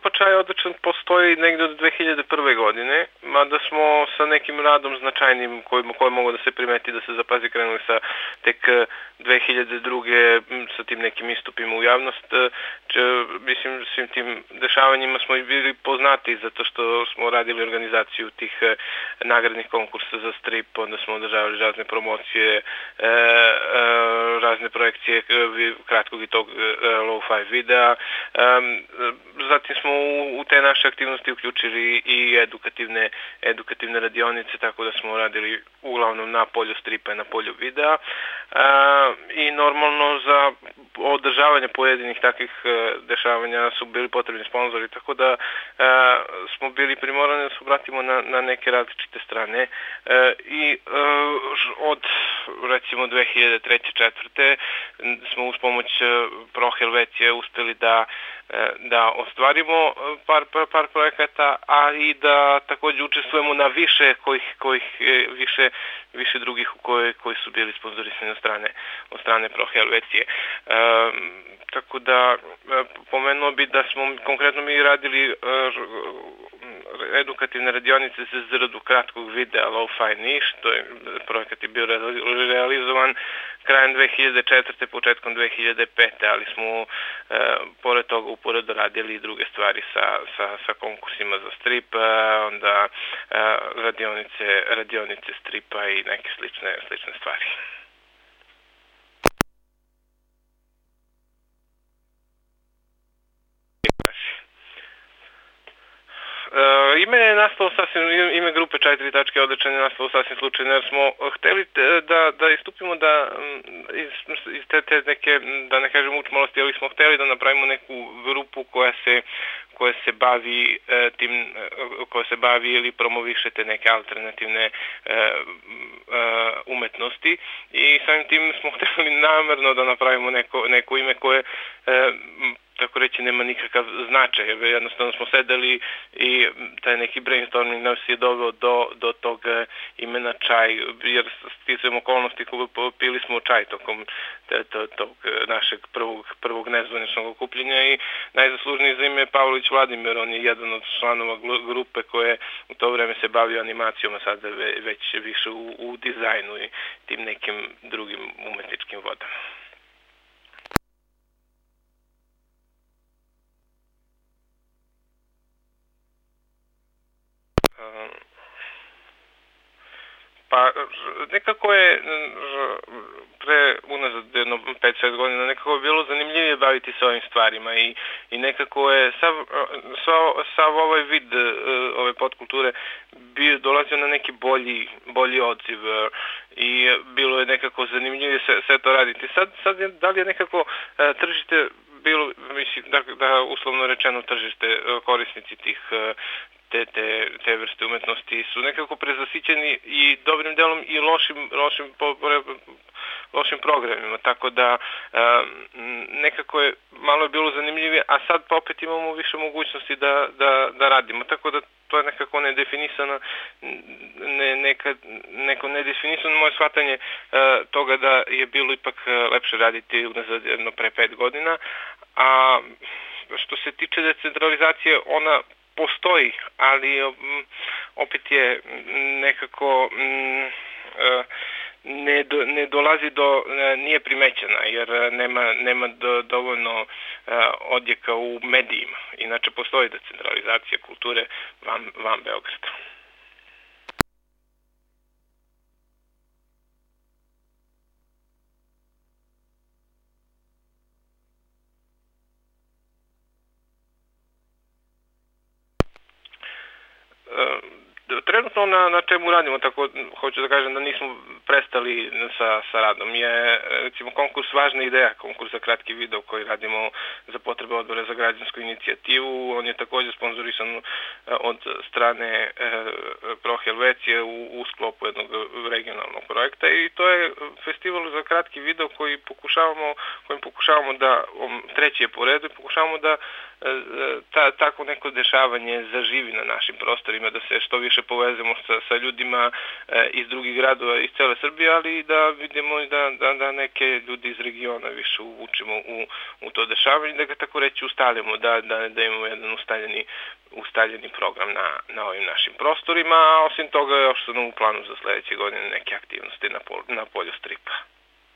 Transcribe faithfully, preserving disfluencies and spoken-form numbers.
grupa Čaj odličan postoji negdje od dve hiljade prve godine, mada smo sa nekim radom značajnim koji, koji mogu da se primeti da se zapazi krenuli sa tek dve hiljade druge sa tim nekim istupima u javnost. Če, mislim, svim tim dešavanjima smo i bili poznati zato što smo radili organizaciju tih nagradnih konkursa za strip, onda smo održavali razne promocije, e, e, razne projekcije kratkog i tog low-fi videa. Zatim smo u, u te naše aktivnosti uključili i edukativne, edukativne radionice, tako da smo radili uglavnom na polju stripa i na polju videa. I normalno za održavanje pojedinih takvih dešavanja su bili potrebni sponzori, tako da smo bili primorani da se obratimo na, na neke različite strane. I od recimo dve hiljade treće četvrte smo uz pomoć Pro Helvecije uspeli da da ostvarimo par, par, par projekata, a i da također učestvujemo na više kojih, kojih više, više drugih koji, koji su bili sponzorisani od strane, od strane Pro Helvecije. E, tako da pomenuo bi da smo konkretno mi radili edukativne radionice za izradu kratkog videa Lo-Fi Niš, to je projekat je bio realizovan krajem dve hiljade četvrte. početkom dve hiljade pete. ali smo e, pored toga uporedo radili i druge stvari sa, sa, sa konkursima za strip, onda e, radionice, radionice stripa i neke slične, slične stvari. Uh, ime je nastalo sasvim, ime grupe Čaj tri tačke odličan je nastalo sasvim slučajno, jer smo hteli da, da istupimo da iz, iz te, te neke, da ne kažem učmalosti, ali smo hteli da napravimo neku grupu koja se koja se bavi e, tim, koja se bavi ili promoviše te neke alternativne e, e, umetnosti i samim tim smo hteli namerno da napravimo neko, neko ime koje e, tako reći nema nikakav značaj, jer jednostavno smo sedeli i taj neki brainstorming nas je doveo do, do tog imena Čaj, jer sticajem okolnosti pili smo čaj tokom te, to, tog našeg prvog, prvog nezvaničnog okupljenja i najzaslužniji za ime je Pavlović Vladimir, on je jedan od članova grupe koje u to vreme se bavio animacijom, a sada već više u, u dizajnu i tim nekim drugim umetničkim vodama. Pa nekako je pre unazad jedno pet šest godina nekako je bilo zanimljivije baviti se ovim stvarima i, i nekako je sav, sav, sav ovaj vid ove podkulture bio dolazio na neki bolji, bolji odziv i bilo je nekako zanimljivije sve, sve to raditi. Sad, sad je, da li je nekako tržište bilo, mislim, da, da uslovno rečeno tržište korisnici tih Te, te, te vrste umetnosti su nekako prezasićeni i dobrim delom i lošim, lošim, po, lošim programima, tako da um, nekako je malo je bilo zanimljivije, a sad pa opet imamo više mogućnosti da, da, da radimo, tako da to je nekako nedefinisano, ne, neka, neko nedefinisano moje shvatanje uh, toga da je bilo ipak lepše raditi unazad jedno pre pet godina, a što se tiče decentralizacije, ona postoji, ali um, opet je nekako um, uh, ne, do, ne dolazi do, uh, nije primećena, jer nema, nema do, dovoljno uh, odjeka u medijima. Inače postoji decentralizacija kulture van, van Beograda. Trenutno na, na čemu radimo, tako hoću da kažem da nismo prestali sa, sa radom, je recimo konkurs Važna ideja, konkurs za kratki video koji radimo za potrebe Odbora za građansku inicijativu. On je također sponzorisan od strane e, Pro Helvecije u, u sklopu jednog regionalnog projekta i to je festival za kratki video koji pokušavamo, kojim pokušavamo da, treći je po redu, pokušavamo da ta, tako neko dešavanje zaživi na našim prostorima, da se što više povezemo sa, sa ljudima iz drugih gradova iz cele Srbije, ali i da vidimo i da, da, da neke ljudi iz regiona više uvučemo u, u to dešavanje, da ga tako reći ustalimo, da, da, da imamo jedan ustaljeni, ustaljeni program na, na ovim našim prostorima, a osim toga još su nam u planu za sledeće godine neke aktivnosti na, pol, na polju stripa.